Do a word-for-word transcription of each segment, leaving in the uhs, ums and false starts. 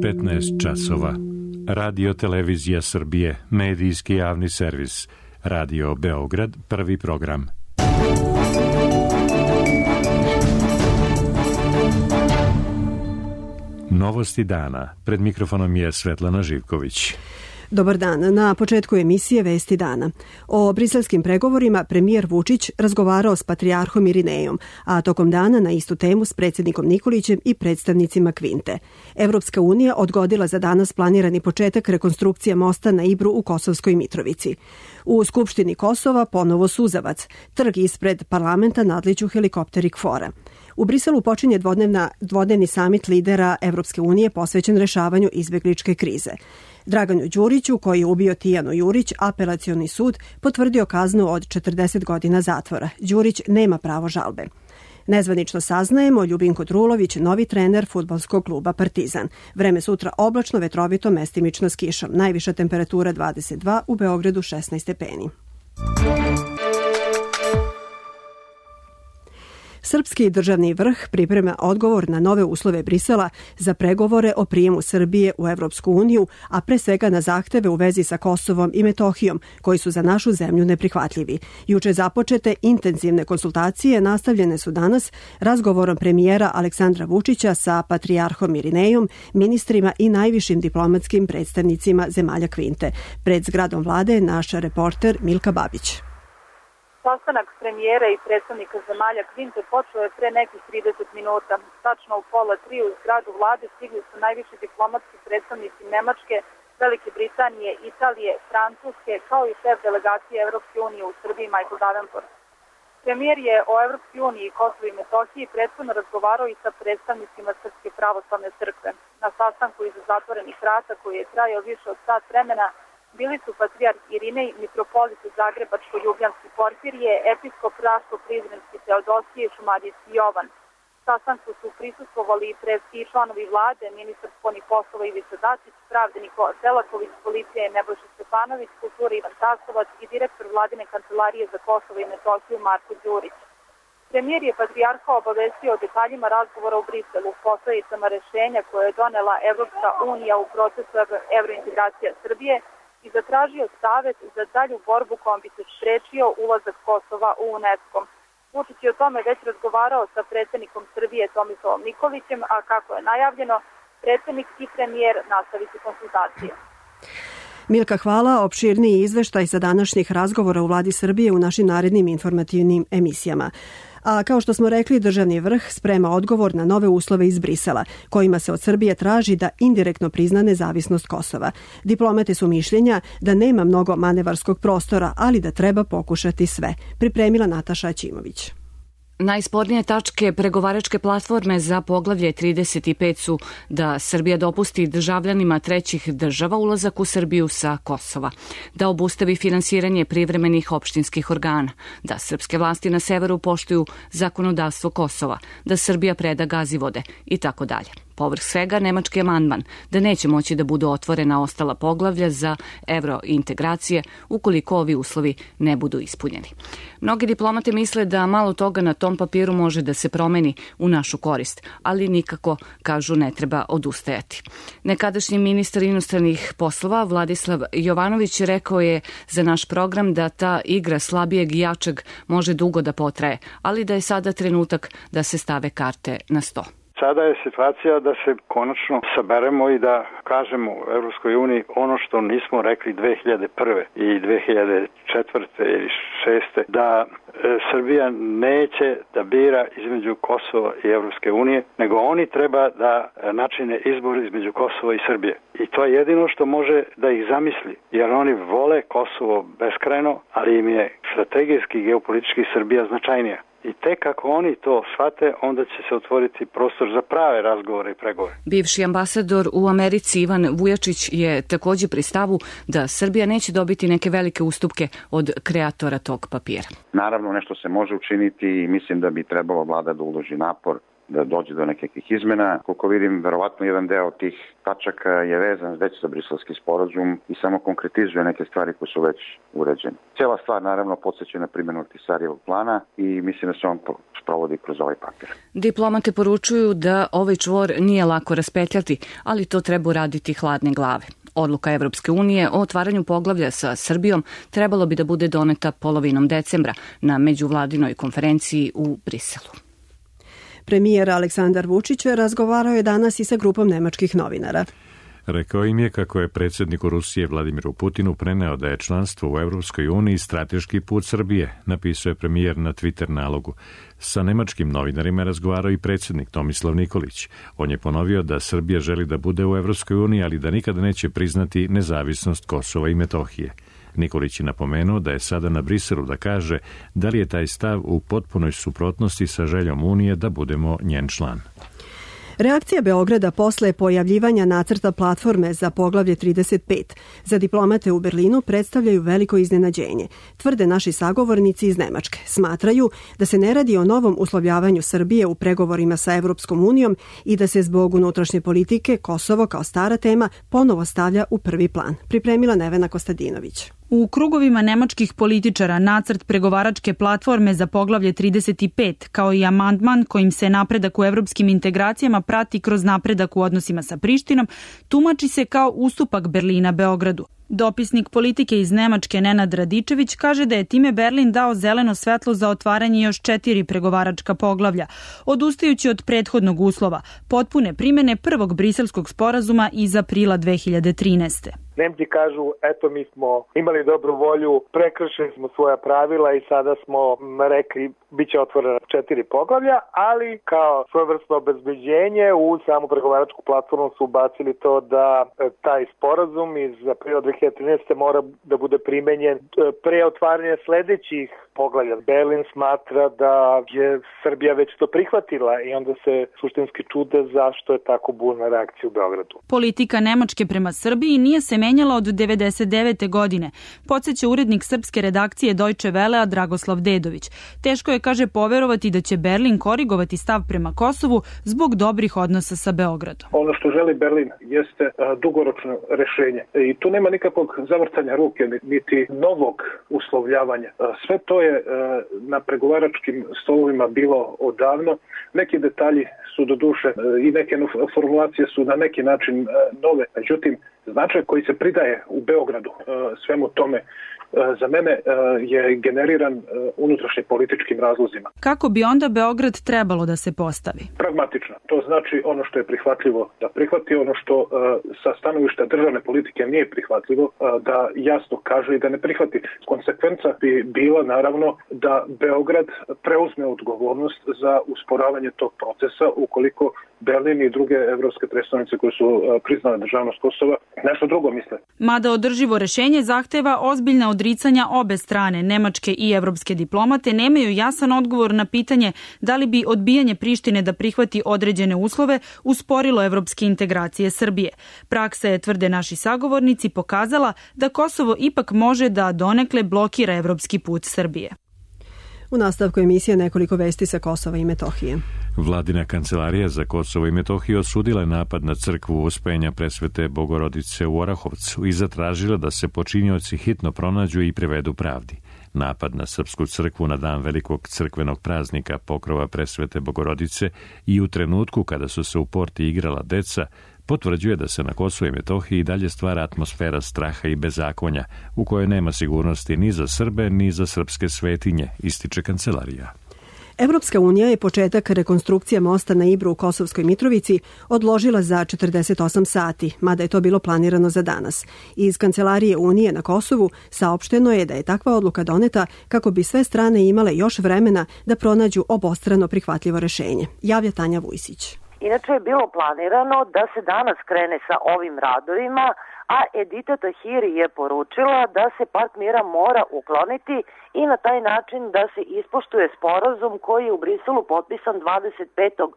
petnaest časova. Radio Televizija Srbije, medijski javni servis. Radio Beograd, prvi program. Novosti dana. Pred mikrofonom je Svetlana Živković. Dobar dan. Na početku emisije Vesti dana. O briselskim pregovorima premijer Vučić razgovarao s patrijarhom Irinejom, a tokom dana na istu temu s predsjednikom Nikolićem i predstavnicima Kvinte. Evropska unija odgodila za danas planirani početak rekonstrukcije mosta na Ibru u Kosovskoj Mitrovici. U Skupštini Kosova ponovo suzavac. Trg ispred parlamenta nadliđu helikopteri KFOR-a. U Briselu počinje dvodnevna, dvodnevni samit lidera Evropske unije posvećen rešavanju izbegličke krize. Draganu Đuriću, koji je ubio Tijanu Jurić, apelacioni sud potvrdio kaznu od četrdeset godina zatvora. Đurić nema pravo žalbe. Nezvanično saznajemo Ljubinko Drulović, novi trener fudbalskog kluba Partizan. Vreme sutra oblačno, vetrovito, mestimično s kišom. Najviša temperatura dvadeset dva, u Beogradu šesnaest stepeni. Srpski državni vrh priprema odgovor na nove uslove Brisela za pregovore o prijemu Srbije u Evropsku uniju, a pre svega na zahteve u vezi sa Kosovom i Metohijom, koji su za našu zemlju neprihvatljivi. Juče započete intenzivne konsultacije nastavljene su danas razgovorom premijera Aleksandra Vučića sa patrijarhom Irinejom, ministrima i najvišim diplomatskim predstavnicima zemalja Kvinte. Pred zgradom vlade je naš reporter Milka Babić. Sastanak premijera i predstavnika zemalja Kvinte počeo je pre nekih trideset minuta. Tačno u pola tri u zgradu vlade stigli su najviši diplomatski predstavnici Nemačke, Velike Britanije, Italije, Francuske, kao i šef delegacije Evropske unije u Srbiji Michael Davenport. Premijer je o Evropskoj uniji i Kosovu i Metohiji prethodno razgovarao i sa predstavnicima Srpske pravoslavne crkve. Na sastanku iza zatvorenih vrata, koji je trajao više od sat vremena, bili su patrijarh Irinej, mitropolit Zagrebačko-Ljubljanski Porfirije, episkop Raško-Prizrenski Teodosije i Šumadijski Jovan. Sastanku su prisustvovali i predski članovi vlade, ministar spoljnih poslova Ivica Dačić, pravde Nikola Selaković, policije Nebojša Stefanović, kulture Ivan Tasovac i direktor vladine kancelarije za Kosovo i Metohiju Marko Đurić. Premijer je patrijarha obavestio o detaljima razgovora u Briselu, posledicama rešenja koje je donela Evropska unija u procesu evrointegracija Srbije i zatražio savet za dalju borbu kojom bi se sprečio ulazak Kosova u UNESCO. Vučić je o tome već razgovarao sa predsjednikom Srbije Tomislavom Nikolićem, a kako je najavljeno, predsjednik i premijer nastaviti konsultacije. Milka, hvala. Opširniji izveštaj sa današnjih razgovora u vladi Srbije u našim narednim informativnim emisijama. A kao što smo rekli, državni vrh sprema odgovor na nove uslove iz Brisela, kojima se od Srbije traži da indirektno prizna nezavisnost Kosova. Diplomate su mišljenja da nema mnogo manevarskog prostora, ali da treba pokušati sve. Pripremila Nataša Ćimović. Najspornije tačke pregovaračke platforme za poglavlje trideset pet su da Srbija dopusti državljanima trećih država ulazak u Srbiju sa Kosova, da obustavi finansiranje privremenih opštinskih organa, da srpske vlasti na severu poštuju zakonodavstvo Kosova, da Srbija preda Gazivode i tako dalje. Povrh svega, nemački amandman da neće moći da budu otvorena ostala poglavlja za evrointegracije ukoliko ovi uslovi ne budu ispunjeni. Mnogi diplomate misle da malo toga na tom papiru može da se promeni u našu korist, ali nikako, kažu, ne treba odustajati. Nekadašnji ministar inostranih poslova Vladislav Jovanović rekao je za naš program da ta igra slabijeg i jačeg može dugo da potraje, ali da je sada trenutak da se stave karte na sto. Sada je situacija da se konačno saberemo i da kažemo u Evropskoj uniji ono što nismo rekli dve hiljade prve i dve hiljade četvrte ili šeste, da e, Srbija neće da bira između Kosova i Evropske unije, nego oni treba da načine izbor između Kosova i Srbije. I to je jedino što može da ih zamisli, jer oni vole Kosovo beskrajno, ali im je strategijski i geopolitički Srbija značajnija. I tek ako oni to shvate, onda će se otvoriti prostor za prave razgovore i pregovore. Bivši ambasador u Americi Ivan Vujačić je također pri stavu da Srbija neće dobiti neke velike ustupke od kreatora tog papira. Naravno, nešto se može učiniti i mislim da bi trebalo vlada da uloži napor da dođe do nekakvih izmena. Koliko vidim, verovatno jedan deo tih tačaka je vezan već za briselski sporazum i samo konkretizuje neke stvari koje su već uređene. Cijela stvar naravno podsjeća na primjenu Ahtisarijevog plana i mislim da se on sprovodi kroz ovaj papir. Diplomate poručuju da ovaj čvor nije lako raspetljati, ali to treba uraditi hladne glave. Odluka Evropske unije o otvaranju poglavlja sa Srbijom trebalo bi da bude doneta polovinom decembra na međuvladinoj konferenciji u Briselu. Premijer Aleksandar Vučić razgovarao je danas i sa grupom nemačkih novinara. Rekao im je kako je predsjedniku Rusije Vladimiru Putinu preneo da je članstvo u Evropskoj uniji strateški put Srbije, napisao je premijer na Twitter nalogu. Sa nemačkim novinarima razgovarao i predsjednik Tomislav Nikolić. On je ponovio da Srbija želi da bude u Evropskoj uniji, ali da nikada neće priznati nezavisnost Kosova i Metohije. Nikolić je napomenuo da je sada na Briselu da kaže da li je taj stav u potpunoj suprotnosti sa željom Unije da budemo njen član. Reakcija Beograda posle pojavljivanja nacrta platforme za poglavlje trideset pet za diplomate u Berlinu predstavljaju veliko iznenađenje, tvrde naši sagovornici iz Nemačke. Smatraju da se ne radi o novom uslovljavanju Srbije u pregovorima sa Evropskom unijom i da se zbog unutrašnje politike Kosovo kao stara tema ponovo stavlja u prvi plan. Pripremila Nevena Kostadinović. U krugovima nemačkih političara nacrt pregovaračke platforme za poglavlje trideset pet, kao i amandman kojim se napredak u evropskim integracijama prati kroz napredak u odnosima sa Prištinom, tumači se kao ustupak Berlina Beogradu. Dopisnik politike iz Nemačke Nenad Radičević kaže da je time Berlin dao zeleno svetlo za otvaranje još četiri pregovaračka poglavlja, odustajući od prethodnog uslova, potpune primene prvog briselskog sporazuma iz aprila dve hiljade trinaeste. Nemci kažu, eto mi smo imali dobru volju, prekršili smo svoja pravila i sada smo rekli bit će otvorena četiri poglavlja, ali kao svojevrsno obezbeđenje u samu pregovaračku platformu su ubacili to da taj sporazum iz aprila dve hiljade trinaeste mora da bude primenjen pre otvaranja sledećih poglavlja. Berlin smatra da je Srbija već to prihvatila i onda se suštinski čude zašto je tako burna reakcija u Beogradu. Politika Nemačke prema Srbiji nije se menjala od devedeset devete godine, podsjeća urednik srpske redakcije Deutsche Wellea Dragoslav Dedović. Teško je, kaže, poverovati da će Berlin korigovati stav prema Kosovu zbog dobrih odnosa sa Beogradom. Ono što želi Berlin jeste dugoročno rešenje i tu nema nikakvog zavrtanja ruke niti novog uslovljavanja. Sve to je na pregovaračkim stolovima bilo odavno. Neki detalji su do duše i neke formulacije su na neki način nove. Međutim, značaj koji se pridaje u Beogradu svemu tome za mene je generiran unutrašnje političkim razlozima. Kako bi onda Beograd trebalo da se postavi? Pragmatično. To znači ono što je prihvatljivo da prihvati, ono što sa stanovišta državne politike nije prihvatljivo da jasno kaže i da ne prihvati. Konsekvenca bi bila naravno da Beograd preuzme odgovornost za usporavanje tog procesa ukoliko Berlin i druge evropske predstavnice koje su priznale državnost Kosova nešto drugo misle. Mada održivo rešenje zahteva ozbiljna odricanja obe strane, nemačke i evropske diplomate nemaju jasan odgovor na pitanje da li bi odbijanje Prištine da prihvati određene uslove usporilo evropske integracije Srbije. Praksa je, tvrde naši sagovornici, pokazala da Kosovo ipak može da donekle blokira evropski put Srbije. U nastavku emisije nekoliko vesti sa Kosova i Metohije. Vladina kancelarija za Kosovo i Metohiju osudila je napad na crkvu Uspenja Presvete Bogorodice u Orahovcu i zatražila da se počinioci hitno pronađu i privedu pravdi. Napad na srpsku crkvu na dan velikog crkvenog praznika Pokrova Presvete Bogorodice i u trenutku kada su se u porti igrala deca potvrđuje da se na Kosovu i Metohiji dalje stvara atmosfera straha i bezakonja u kojoj nema sigurnosti ni za Srbe ni za srpske svetinje, ističe kancelarija. Evropska unija je početak rekonstrukcije mosta na Ibru u Kosovskoj Mitrovici odložila za četrdeset osam sati, mada je to bilo planirano za danas. Iz Kancelarije Unije na Kosovu saopšteno je da je takva odluka doneta kako bi sve strane imale još vremena da pronađu obostrano prihvatljivo rešenje. Javlja Tanja Vujsić. Inače je bilo planirano da se danas krene sa ovim radovima, a Edita Tahiri je poručila da se park mira mora ukloniti i na taj način da se ispoštuje sporazum koji je u Briselu potpisan dvadeset petog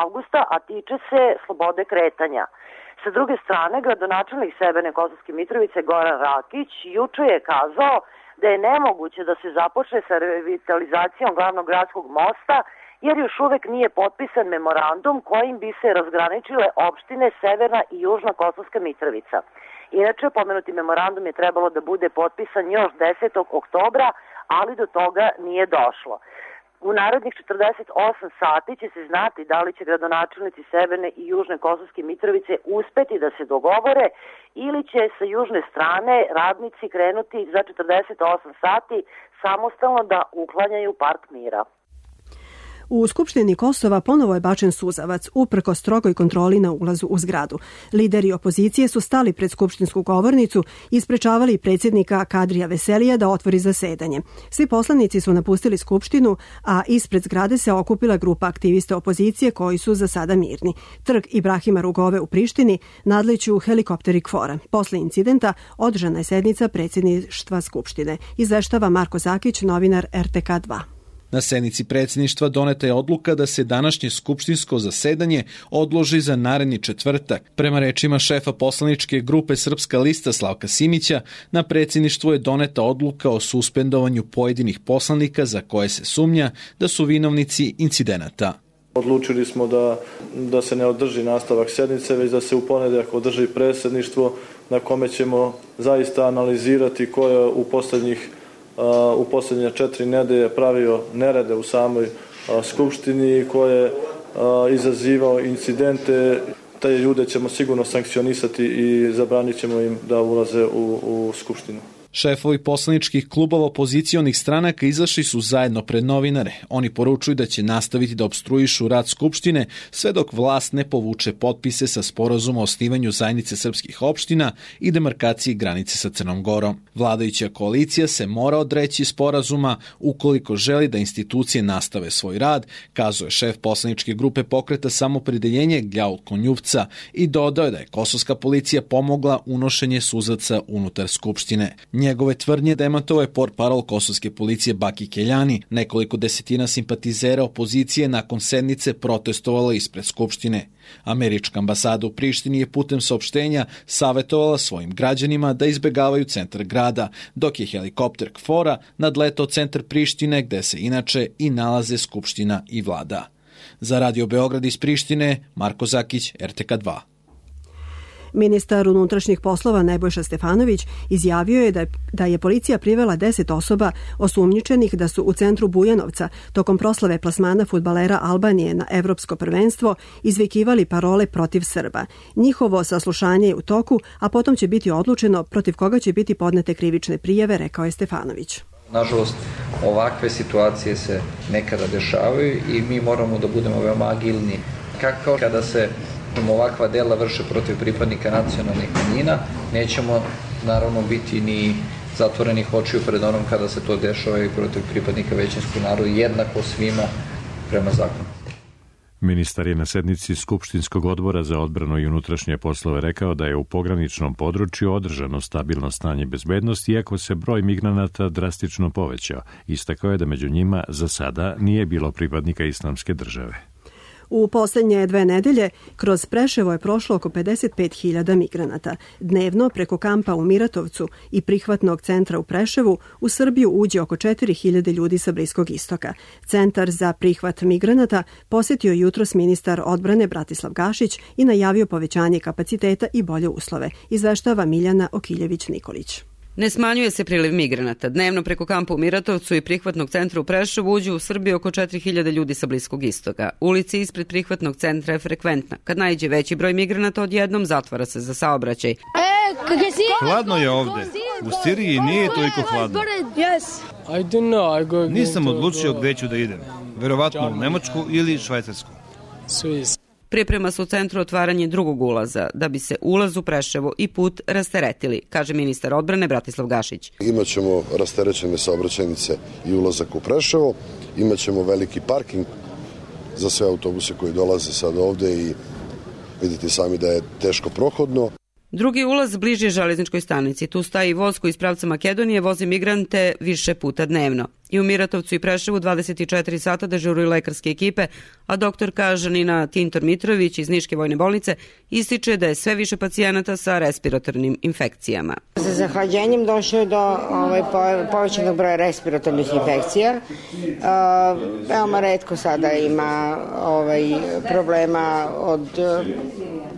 avgusta, a tiče se slobode kretanja. Sa druge strane, gradonačelnik Severne Kosovske Mitrovice Goran Rakić juče je kazao da je nemoguće da se započne sa revitalizacijom glavnog gradskog mosta jer još uvek nije potpisan memorandum kojim bi se razgraničile opštine Severna i Južna Kosovska Mitrovica. Inače, pomenuti memorandum je trebalo da bude potpisan još desetog oktobra, ali do toga nije došlo. U narednih četrdeset osam sati će se znati da li će gradonačelnici Severne i Južne Kosovske Mitrovice uspeti da se dogovore ili će sa južne strane radnici krenuti za četrdeset osam sati samostalno da uklanjaju Park mira. U Skupštini Kosova ponovo je bačen suzavac uprkos strogoj kontroli na ulazu u zgradu. Lideri opozicije su stali pred skupštinsku govornicu i sprečavali predsjednika Kadrija Veselija da otvori zasedanje. Svi poslanici su napustili Skupštinu, a ispred zgrade se okupila grupa aktivista opozicije koji su za sada mirni. Trg Ibrahima Rugove u Prištini nadliću helikopteri KFOR-a. Posle incidenta održana je sednica predsjedništva Skupštine. Izveštava Marko Zakić, novinar R T K dva. Na sednici predsjedništva doneta je odluka da se današnje skupštinsko zasedanje odloži za naredni četvrtak. Prema rečima šefa poslaničke grupe Srpska lista Slavka Simića, na predsjedništvu je doneta odluka o suspendovanju pojedinih poslanika za koje se sumnja da su vinovnici incidenata. Odlučili smo da, da se ne održi nastavak sednice, već da se u ponedeljak održi predsjedništvo na kome ćemo zaista analizirati ko je u posljednjih u posljednje četiri nedelje pravio nerede u samoj skupštini, ko je izazivao incidente. Te ljude ćemo sigurno sankcionisati i zabranit ćemo im da ulaze u, u skupštinu. Šefovi poslaničkih klubova opozicionih stranaka izašli su zajedno pred novinare. Oni poručuju da će nastaviti da opstruišu rad Skupštine sve dok vlast ne povuče potpise sa sporazuma o osnivanju zajednice srpskih opština i demarkaciji granice sa Crnom Gorom. Vladajuća koalicija se mora odreći sporazuma ukoliko želi da institucije nastave svoj rad, kazuje šef poslaničke grupe Pokreta Samopredeljenje Gljaul Konjuvca i dodao je da je kosovska policija pomogla unošenje suzaca unutar Skupštine. Njegove tvrdnje demantovao je portparol kosovske policije Baki Keljani. Nekoliko desetina simpatizera opozicije nakon sednice protestovalo ispred Skupštine. Američka ambasada u Prištini je putem saopštenja savjetovala svojim građanima da izbegavaju centar grada, dok je helikopter KFOR-a nadletao centar Prištine gde se inače i nalaze Skupština i vlada. Za Radio Beograd iz Prištine, Marko Zakić, R T K dva. Ministar unutrašnjih poslova Nebojša Stefanović izjavio je da je, da je policija privela deset osoba osumnjičenih da su u centru Bujanovca tokom proslave plasmana fudbalera Albanije na evropsko prvenstvo izvikivali parole protiv Srba. Njihovo saslušanje je u toku, a potom će biti odlučeno protiv koga će biti podnete krivične prijave, rekao je Stefanović. Nažalost, ovakve situacije se nekada dešavaju i mi moramo da budemo veoma agilni. Kako kada se ovakva dela vrše protiv pripadnika nacionalnih manjina, nećemo naravno biti ni zatvorenih očiju pred onom kada se to dešava i protiv pripadnika većinskog naroda, jednako svima prema zakonu. Ministar je na sednici Skupštinskog odbora za odbranu i unutrašnje poslove rekao da je u pograničnom području održano stabilno stanje bezbednosti, iako se broj migranata drastično povećao. Istakao je da među njima za sada nije bilo pripadnika Islamske države. U posljednje dve nedelje kroz Preševo je prošlo oko pedeset pet hiljada migranata. Dnevno preko kampa u Miratovcu i prihvatnog centra u Preševu u Srbiju uđe oko četiri hiljade ljudi sa Bliskog istoka. Centar za prihvat migranata posjetio jutros ministar odbrane Bratislav Gašić i najavio povećanje kapaciteta i bolje uslove, izveštava Miljana Okiljević-Nikolić. Ne smanjuje se priliv migranata. Dnevno preko kampa u Miratovcu i prihvatnog centra u Preševu uđu u Srbiju oko četiri hiljade ljudi sa Bliskog istoka. Ulici ispred prihvatnog centra je frekventna. Kad naiđe veći broj migranata, odjednom zatvara se za saobraćaj. Hladno je ovde. U Siriji nije toliko hladno. Nisam odlučio gde ću da idem. Verovatno u Nemačku ili Švajcarsku. Priprema se u centru otvaranje drugog ulaza, da bi se ulaz u Preševo i put rasteretili, kaže ministar odbrane Bratislav Gašić. Imaćemo rasterećene saobraćajnice i ulazak u Preševo, imaćemo veliki parking za sve autobuse koji dolaze sad ovde i vidite sami da je teško prohodno. Drugi ulaz bliži železničkoj stanici. Tu staji voz koji iz pravca Makedonije vozi migrante više puta dnevno. I u Miratovcu i Preševu dvadeset četiri sata dežuruju lekarske ekipe, a doktorka Žanina Tintor-Mitrović iz Niške vojne bolnice ističe da je sve više pacijenata sa respiratornim infekcijama. Sa zahlađenjem došlo je do ovaj, povećanog broja respiratornih infekcija. Uh, veoma retko sada ima ovaj, problema od,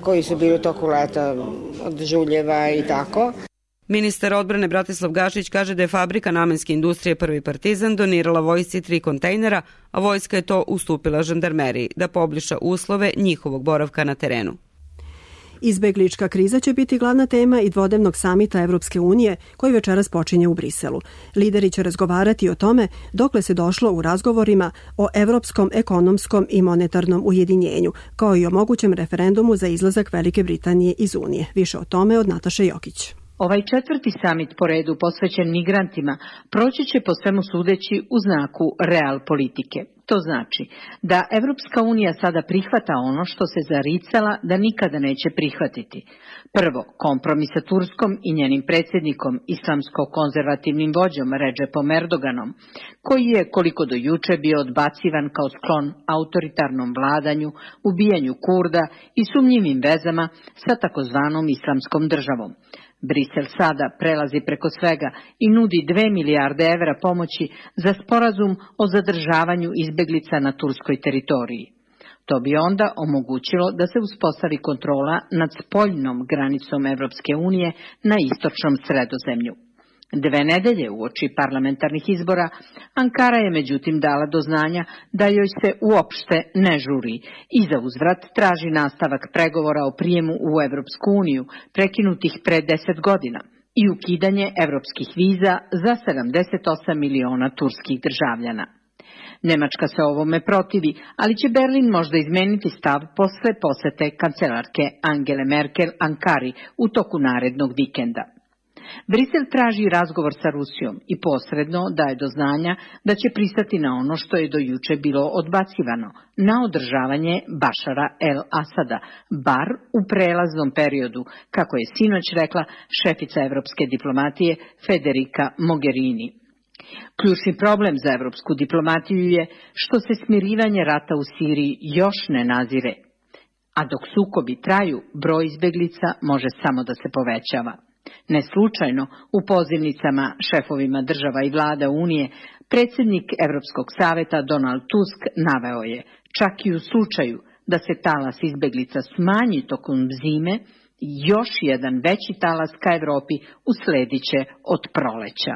koji su bili u toku leta, od žuljeva i tako. Ministar odbrane Bratislav Gašić kaže da je fabrika namenske industrije Prvi Partizan donirala vojsci tri kontejnera, a vojska je to ustupila žandarmeriji da poboljša uslove njihovog boravka na terenu. Izbeglička kriza će biti glavna tema i dvodnevnog samita Evropske unije koji večeras počinje u Briselu. Lideri će razgovarati o tome dokle se došlo u razgovorima o evropskom ekonomskom i monetarnom ujedinjenju, kao i o mogućem referendumu za izlazak Velike Britanije iz Unije. Više o tome od Nataše Jokić. Ovaj četvrti samit po redu posvećen migrantima proći će po svemu sudeći u znaku real politike. To znači da Evropska unija sada prihvata ono što se zaricala da nikada neće prihvatiti. Prvo, kompromis sa Turskom i njenim predsjednikom, islamsko-konzervativnim vođom Redžepom Erdoganom, koji je koliko do juče bio odbacivan kao sklon autoritarnom vladanju, ubijanju Kurda i sumnjivim vezama sa takozvanom islamskom državom. Brisel sada prelazi preko svega i nudi dve milijarde evra pomoći za sporazum o zadržavanju izbeglica na turskoj teritoriji. To bi onda omogućilo da se uspostavi kontrola nad spoljnom granicom Evropske unije na istočnom Sredozemlju. Dve nedelje uoči parlamentarnih izbora, Ankara je međutim dala do znanja da joj se uopšte ne žuri i za uzvrat traži nastavak pregovora o prijemu u Evropsku uniju, prekinutih pre deset godina, i ukidanje evropskih viza za sedamdeset osam miliona turskih državljana. Nemačka se ovome protivi, ali će Berlin možda izmeniti stav posle posete kancelarke Angele Merkel Ankari u toku narednog vikenda. Brisel traži razgovor sa Rusijom i posredno daje do znanja da će pristati na ono što je do juče bilo odbacivano, na održavanje Bašara el-Asada, bar u prelaznom periodu, kako je sinoć rekla šefica evropske diplomatije Federica Mogherini. Ključni problem za evropsku diplomatiju je što se smirivanje rata u Siriji još ne nazire, a dok sukobi traju, broj izbeglica može samo da se povećava. Ne slučajno, u pozivnicama šefovima država i vlada Unije, predsjednik Evropskog saveta Donald Tusk naveo je, čak i u slučaju da se talas izbeglica smanji tokom zime, još jedan veći talas ka Evropi uslediće od proleća.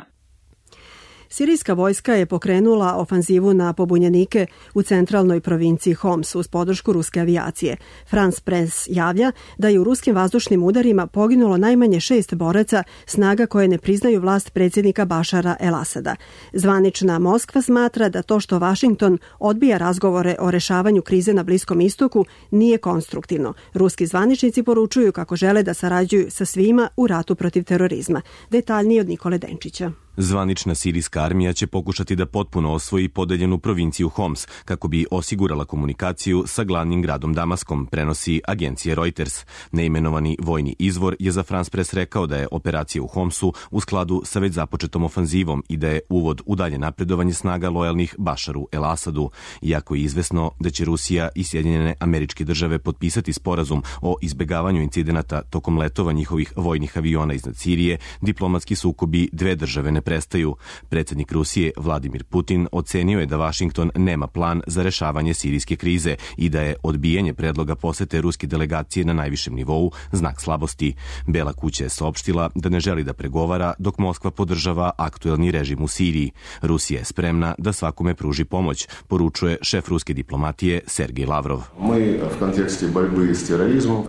Sirijska vojska je pokrenula ofanzivu na pobunjenike u centralnoj provinciji Homs uz podršku ruske avijacije. France Press javlja da je u ruskim vazdušnim udarima poginulo najmanje šest boraca snaga koje ne priznaju vlast predsjednika Bašara el-Asada. Zvanična Moskva smatra da to što Vašington odbija razgovore o rešavanju krize na Bliskom istoku nije konstruktivno. Ruski zvaničnici poručuju kako žele da sarađuju sa svima u ratu protiv terorizma. Detaljnije od Nikole Denčića. Zvanična sirijska armija će pokušati da potpuno osvoji podeljenu provinciju Homs kako bi osigurala komunikaciju sa glavnim gradom Damaskom, prenosi agencija Reuters. Neimenovani vojni izvor je za France Press rekao da je operacija u Homsu u skladu sa već započetom ofanzivom i da je uvod u dalje napredovanje snaga lojalnih Bašaru el-Asadu, iako je izvesno da će Rusija i Sjedinjene Američke Države potpisati sporazum o izbegavanju incidenata tokom letova njihovih vojnih aviona iznad Sirije, diplomatski sukobi dve države ne prestaju. Predsjednik Rusije Vladimir Putin ocenio je da Vašington nema plan za rešavanje sirijske krize i da je odbijanje predloga posete ruske delegacije na najvišem nivou znak slabosti. Bela kuća je saopštila da ne želi da pregovara dok Moskva podržava aktuelni režim u Siriji. Rusija je spremna da svakome pruži pomoć, poručuje šef ruske diplomatije Sergej Lavrov.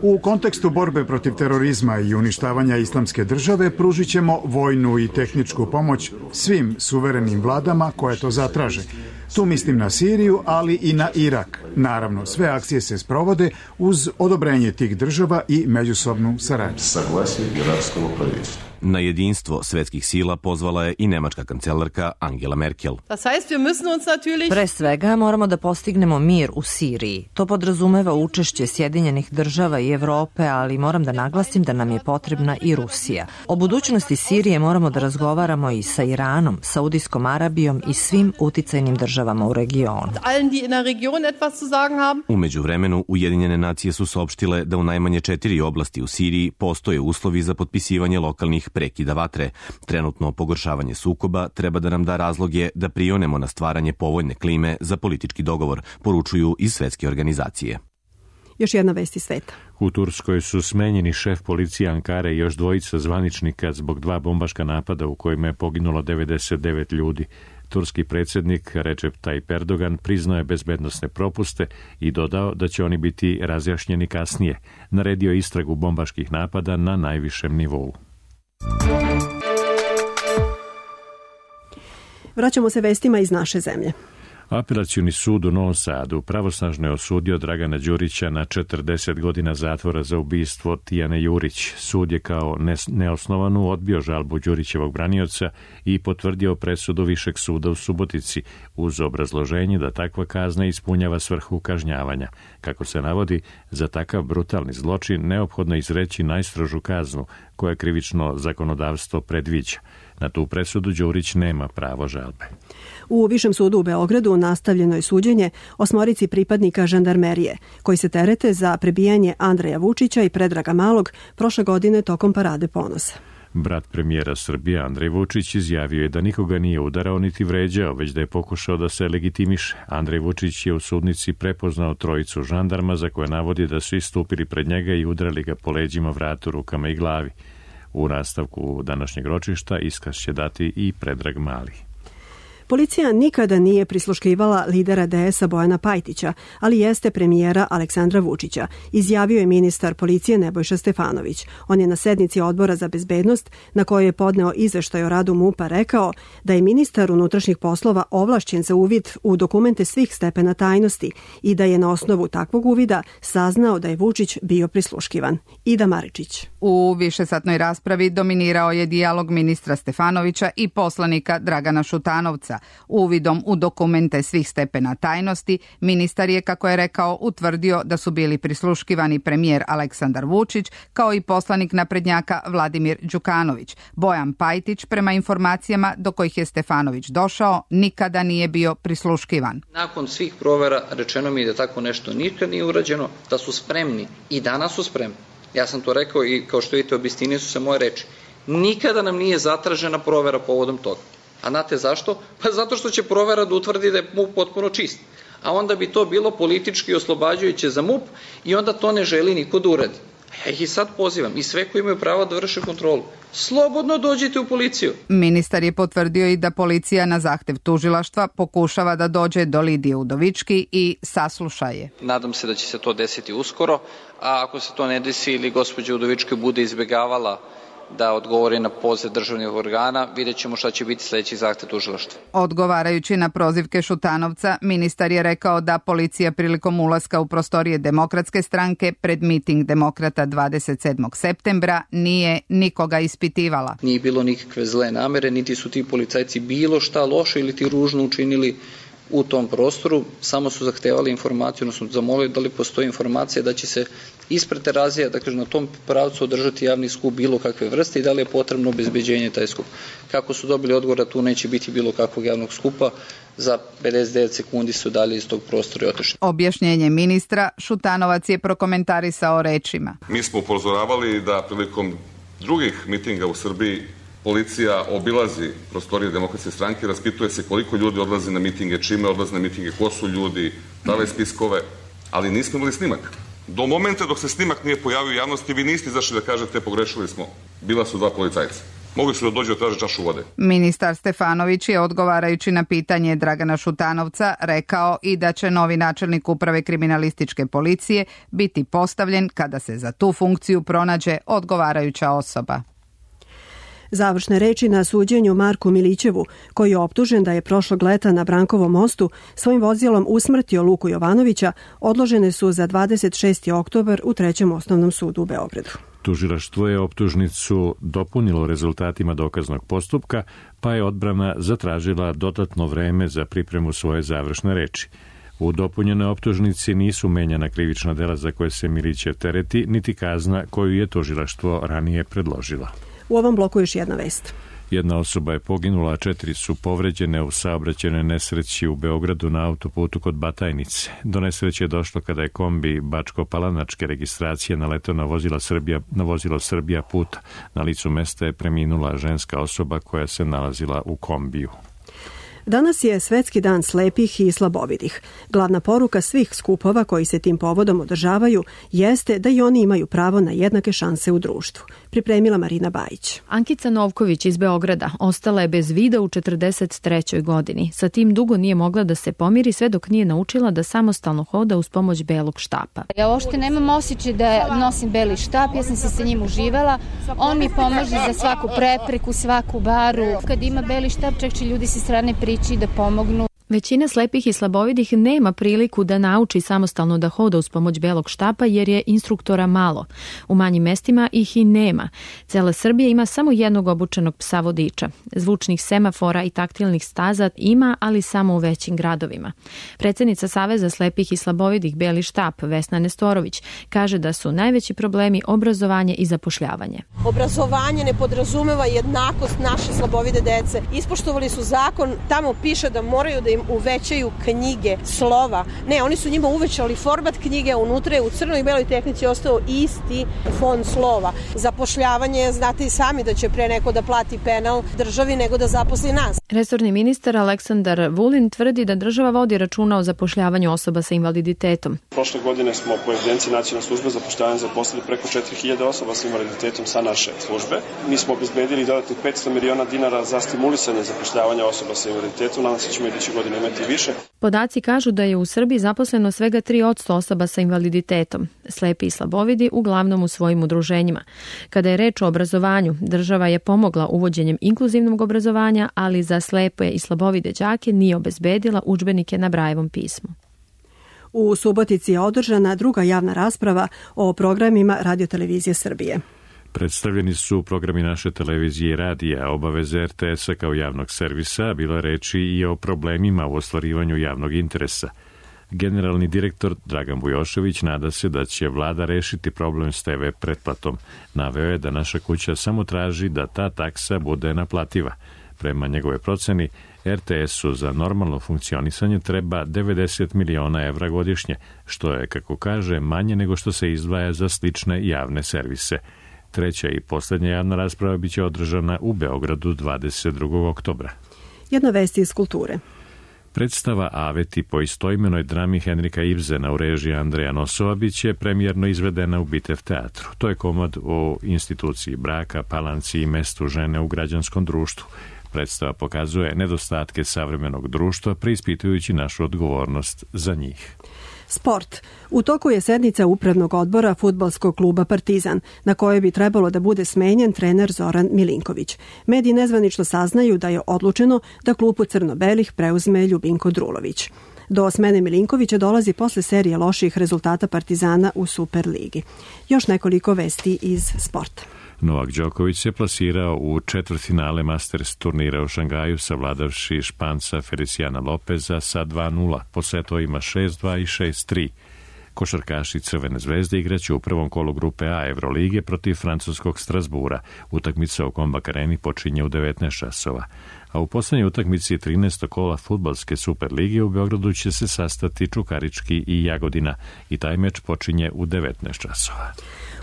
U kontekstu borbe protiv terorizma i uništavanja islamske države pružit ćemo vojnu i tehničku pomoć svim suverenim vladama koje to zatraže. Tu mislim na Siriju, ali i na Irak. Naravno, sve akcije se sprovode uz odobrenje tih država i međusobnu saradnju. Na jedinstvo svetskih sila pozvala je i nemačka kancelarka Angela Merkel. Pre svega moramo da postignemo mir u Siriji. To podrazumeva učešće Sjedinjenih država i Evrope, ali moram da naglasim da nam je potrebna i Rusija. O budućnosti Sirije moramo da razgovaramo i sa Iranom, Saudijskom Arabijom i svim uticajnim državama u regionu. U međuvremenu, Ujedinjene nacije su saopštile da u najmanje četiri oblasti u Siriji postoje uslovi za potpisivanje lokalnih prekida vatre. Trenutno pogoršavanje sukoba treba da nam da razloge da prionemo na stvaranje povoljne klime za politički dogovor, poručuju iz svetske organizacije. Još jedna vest iz sveta. U Turskoj su smenjeni šef policije Ankare i još dvojica zvaničnika zbog dva bombaška napada u kojima je poginulo devedeset devet ljudi. Turski predsjednik Recep Tayyip Erdogan priznao je bezbednosne propuste i dodao da će oni biti razjašnjeni kasnije. Naredio je istragu bombaških napada na najvišem nivou. Vraćamo se vestima iz naše zemlje. Apelacioni sud u Novom Sadu pravosnažno je osudio Dragana Đurića na četrdeset godina zatvora za ubistvo Tijane Jurić. Sud je kao neosnovanu odbio žalbu Đurićevog branioca i potvrdio presudu Višeg suda u Subotici uz obrazloženje da takva kazna ispunjava svrhu kažnjavanja. Kako se navodi, za takav brutalni zločin neophodno izreći najstrožu kaznu koje krivično zakonodavstvo predviđa. Na tu presudu Đurić nema pravo žalbe. U Višem sudu u Beogradu nastavljeno je suđenje osmorici pripadnika žandarmerije, koji se terete za prebijanje Andreja Vučića i Predraga Malog prošle godine tokom Parade ponosa. Brat premijera Srbije Andrej Vučić izjavio je da nikoga nije udarao niti vređao, već da je pokušao da se legitimiše. Andrej Vučić je u sudnici prepoznao trojicu žandarma za koje navodi da su istupili pred njega i udarali ga po leđima, vratu, rukama i glavi. U nastavku današnjeg ročišta iskaz će dati i Predrag Mali. Policija nikada nije prisluškivala lidera D S-a Bojana Pajtića, ali jeste premijera Aleksandra Vučića, izjavio je ministar policije Nebojša Stefanović. On je na sednici Odbora za bezbednost, na kojoj je podneo izveštaj o radu MUP-a, rekao da je ministar unutrašnjih poslova ovlašćen za uvid u dokumente svih stepena tajnosti i da je na osnovu takvog uvida saznao da je Vučić bio prisluškivan. Ida Maričić. U višesatnoj raspravi dominirao je dijalog ministra Stefanovića i poslanika Dragana Šutanovca. Uvidom u dokumente svih stepena tajnosti, ministar je, kako je rekao, utvrdio da su bili prisluškivani premijer Aleksandar Vučić, kao i poslanik naprednjaka Vladimir Đukanović. Bojan Pajtić, prema informacijama do kojih je Stefanović došao, nikada nije bio prisluškivan. Nakon svih provera rečeno mi je da tako nešto nikad nije urađeno, da su spremni i danas su spremni. Ja sam to rekao i kao što vidite obistinije su se moje reči. Nikada nam nije zatražena provera povodom toga. A znate zašto? Pa zato što će provera da utvrdi da je MUP potpuno čist. A onda bi to bilo politički oslobađajuće za MUP i onda to ne želi niko da uradi. Ja ih i sad pozivam i sve koji imaju pravo da vrše kontrolu. Slobodno dođite u policiju. Ministar je potvrdio i da policija na zahtev tužilaštva pokušava da dođe do Lidije Udovički i sasluša je. Nadam se da će se to desiti uskoro, a ako se to ne desi ili gospođa Udovički bude izbegavala da odgovori na poziv državnih organa, vidjet ćemo šta će biti sledeći zahtev tužilaštva. Odgovarajući na prozivke Šutanovca, ministar je rekao da policija prilikom ulaska u prostorije Demokratske stranke pred miting demokrata dvadeset sedmog septembra nije nikoga ispitivala. Nije bilo nikakve zle namere, niti su ti policajci bilo šta loše ili ti ružno učinili u tom prostoru, samo su zahtevali informaciju, odnosno zamolili da li postoji informacija da će se ispred Terazija, dakle na tom pravcu održati javni skup bilo kakve vrste i da li je potrebno obezbeđenje taj skup. Kako su dobili odgovor da tu neće biti bilo kakvog javnog skupa, za pedeset devet sekundi su dalje iz tog prostora i otišli. Objašnjenje ministra Šutanovac je prokomentarisao rečima. Mi smo upozoravali da prilikom drugih mitinga u Srbiji policija obilazi prostorije Demokratske stranke, raspituje se koliko ljudi odlazi na mitinge, čime odlazi na mitinge, ko su ljudi, dale spiskove, ali nismo imali snimak. Do momenta dok se snimak nije pojavio u javnosti, vi niste izašli da kažete pogrešili smo. Bila su dva policajca. Mogli su da dođu da traže čašu vode. Ministar Stefanović je, odgovarajući na pitanje Dragana Šutanovca, rekao i da će novi načelnik uprave kriminalističke policije biti postavljen kada se za tu funkciju pronađe odgovarajuća osoba. Završne reči na suđenju Marku Milićevu, koji je optužen da je prošlog leta na Brankovom mostu svojim vozilom usmrtio Luku Jovanovića, odložene su za dvadeset šesti oktobar u Trećem osnovnom sudu u Beogradu. Tužilaštvo je optužnicu dopunilo rezultatima dokaznog postupka, pa je odbrana zatražila dodatno vreme za pripremu svoje završne reči. U dopunjenoj optužnici nisu menjana krivična dela za koje se Milićev tereti, niti kazna koju je tužilaštvo ranije predložila. U ovom bloku još jedna vest. Jedna osoba je poginula, a četiri su povređene u saobraćajnoj nesreći u Beogradu na autoputu kod Batajnice. Do nesreće je došlo kada je kombi bačko-palanačke registracije naletao na vozilo Srbija, na vozilo Srbija puta. Na licu mesta je preminula ženska osoba koja se nalazila u kombiju. Danas je Svetski dan slepih i slabovidih. Glavna poruka svih skupova koji se tim povodom održavaju jeste da i oni imaju pravo na jednake šanse u društvu. Pripremila Marina Bajić. Ankica Novković iz Beograda ostala je bez vida u četrdeset trećoj godini. Sa tim dugo nije mogla da se pomiri sve dok nije naučila da samostalno hoda uz pomoć belog štapa. Ja uopšte nemam osjećaj da nosim beli štap, ja sam se sa njim uživala. On mi pomaže za svaku prepreku, svaku baru. Kad ima beli štap, čak će ljudi sa strane priči da pomognu. Većina slepih i slabovidih nema priliku da nauči samostalno da hoda uz pomoć belog štapa jer je instruktora malo. U manjim mestima ih i nema. Cela Srbija ima samo jednog obučenog psa vodiča. Zvučnih semafora i taktilnih staza ima, ali samo u većim gradovima. Predsednica Saveza slepih i slabovidih Beli štap, Vesna Nestorović, kaže da su najveći problemi obrazovanje i zapošljavanje. Obrazovanje ne podrazumeva jednakost naše slabovide dece. Ispoštovali su zakon, tamo piše da moraju da im uvećaju knjige, slova. Ne, oni su njima uvećali format knjige, unutra je u crnoj i beloj tehnici ostao isti fond slova. Zapošljavanje, znate i sami da će pre neko da plati penal državi nego da zaposli nas. Resorni ministar Aleksandar Vulin tvrdi da država vodi računa o zapošljavanju osoba sa invaliditetom. Prošle godine smo po evidenciji Nacionalne službe zapošljavanja zaposlili preko četiri hiljade osoba sa invaliditetom sa naše službe. Mi smo obezbedili dodatnih petsto miliona dinara za stimulisanje zapošljavanja osoba sa invaliditetom. Nadam se da ćemo iduće godine imati više. Podaci kažu da je u Srbiji zaposleno svega tri posto osoba sa invaliditetom, slepi i slabovidi uglavnom u svojim udruženjima. Kada je reč o obrazovanju, država je pomogla uvođenjem inkluzivnog obrazovanja, ali za slepe i slabovide đake nije obezbedila udžbenike na Brajevom pismu. U Subotici je održana druga javna rasprava o programima Radiotelevizije Srbije. Predstavljeni su programi naše televizije i radija, obaveze er te esa kao javnog servisa, bila reči i o problemima u ostvarivanju javnog interesa. Generalni direktor Dragan Bujošević nada se da će vlada rešiti problem s te ve pretplatom. Naveo je da naša kuća samo traži da ta taksa bude naplativa. Prema njegove proceni, er te esu za normalno funkcionisanje treba devedeset miliona evra godišnje, što je, kako kaže, manje nego što se izdvaja za slične javne servise. Treća i poslednja javna rasprava biće održana u Beogradu dvadeset drugog oktobra. Jedna vest iz kulture. Predstava Aveti po istoimenoj drami Henrika Ibsena u režiji Andreja Nosova biće premijerno izvedena u Bitev teatru. To je komad o instituciji braka, palanci i mestu žene u građanskom društvu. Predstava pokazuje nedostatke savremenog društva, preispitujući našu odgovornost za njih. Sport. U toku je sednica upravnog odbora fudbalskog kluba Partizan, na kojoj bi trebalo da bude smenjen trener Zoran Milinković. Mediji nezvanično saznaju da je odlučeno da klubu crno-belih preuzme Ljubinko Drulović. Do smene Milinkovića dolazi posle serije loših rezultata Partizana u Superligi. Još nekoliko vesti iz sporta. Novak Đoković se plasirao u četvrtfinale Masters turnira u Šangaju, savladavši Španca Feliciana Lopeza sa dva nula, po setovima šest dva i šest tri. Košarkaši Crvene zvezde igraće u prvom kolu grupe A Evrolige protiv francuskog Strasbura. Utakmica u Kombak Areni počinje u devetnaest časova. A u poslednjoj utakmici trinaestog kola fudbalske Superlige u Beogradu će se sastati Čukarički i Jagodina i taj meč počinje u devetnaest časova.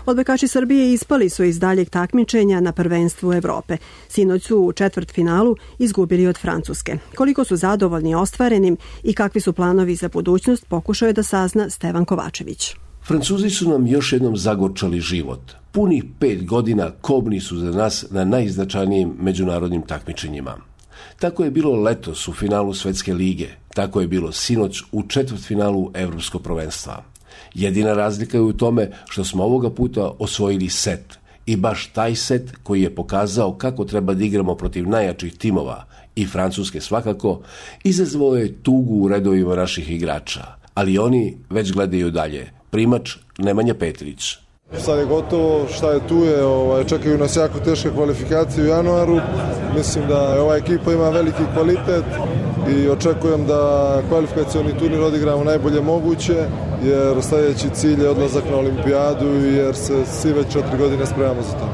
Odbojkaši Srbije ispali su iz daljeg takmičenja na prvenstvu Evrope. Sinoć su u četvrtfinalu izgubili od Francuske. Koliko su zadovoljni ostvarenim i kakvi su planovi za budućnost, pokušao je da sazna Stevan Kovačević. Francuzi su nam još jednom zagorčali život. Punih pet godina kobni su za nas na najznačajnijim međunarodnim takmičenjima. Tako je bilo letos u finalu Svetske lige, tako je bilo sinoć u četvrtfinalu Evropskog prvenstva. Jedina razlika je u tome što smo ovoga puta osvojili set I baš taj set koji je pokazao kako treba da igramo protiv najjačih timova, i Francuske svakako, izazvao je tugu u redovima naših igrača. Ali oni već gledaju dalje. Primač Nemanja Petrić. Sad je gotovo, šta je tu je, ovaj, čekaju nas jako teške kvalifikacije u januaru. Mislim da ova ekipa ima veliki kvalitet i očekujem da kvalifikacioni turnir odigramo najbolje moguće, jer sljedeći cilj je odlazak na olimpijadu, jer se svi već četiri godine spremamo za to.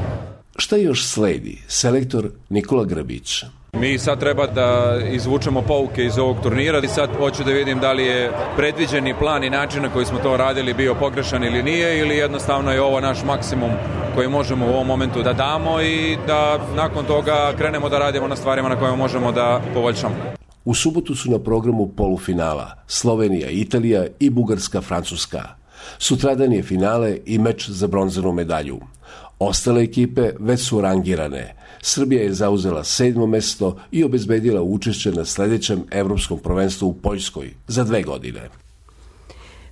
Šta još sledi? Selektor Nikola Grbić. Mi sad treba da izvučemo pouke iz ovog turnira i sad hoću da vidim da li je predviđeni plan i način na koji smo to radili bio pogrešan ili nije, ili jednostavno je ovo naš maksimum koji možemo u ovom momentu da damo i da nakon toga krenemo da radimo na stvarima na kojima možemo da poboljšamo. U subotu su na programu polufinala Slovenija, Italija i Bugarska, Francuska. Sutradan je finale i meč za bronzanu medalju. Ostale ekipe već su rangirane. Srbija je zauzela sedmo mesto i obezbedila učešće na sledećem evropskom prvenstvu u Poljskoj za dve godine.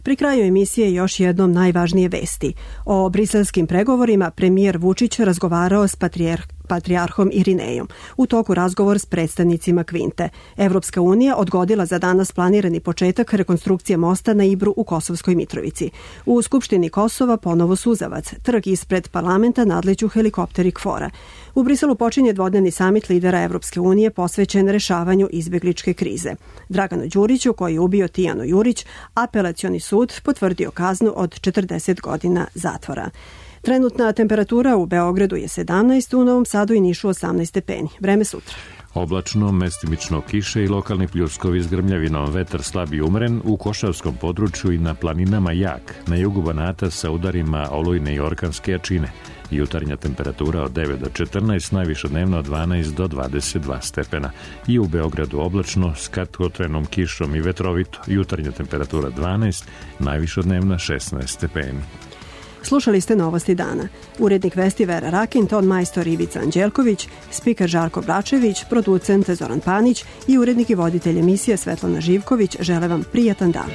Pri kraju emisije još jednom najvažnije vesti. O briselskim pregovorima premijer Vučić razgovarao s patrijarh patrijarhom Irinejom. U toku razgovor s predstavnicima Kvinte. Evropska unija odgodila za danas planirani početak rekonstrukcije mosta na Ibru u Kosovskoj Mitrovici. U Skupštini Kosova ponovo suzavac. Trg ispred parlamenta nadleću helikopteri KFOR-a. U Briselu počinje dvodnevni samit lidera Evropske unije posvećen rešavanju izbegličke krize. Draganu Đuriću, koji je ubio Tijanu Jurić, apelacioni sud potvrdio kaznu od četrdeset godina zatvora. Trenutna temperatura u Beogradu je sedamnaest, u Novom Sadu i Nišu osamnaest stepeni. Vreme sutra. Oblačno, mestimično kiše i lokalni pljuskovi s grmljavinom, vetar slab i umeren, u Košavskom području i na planinama jak, na jugu Banata sa udarima olujne i orkanske jačine. Jutarnja temperatura od devet do četrnaest, najviša dnevno od dvanaest do dvadeset dva stepena. I u Beogradu oblačno, s kratkotrenom kišom i vetrovito. Jutarnja temperatura dvanaest, najviša dnevna šesnaest stepeni. Slušali ste Novosti dana. Urednik vesti Vera Rakin, ton majstor Ivica Anđelković, spiker Žarko Bračević, producent Zoran Panić i urednik i voditelj emisije Svetlana Živković žele vam prijatan dan.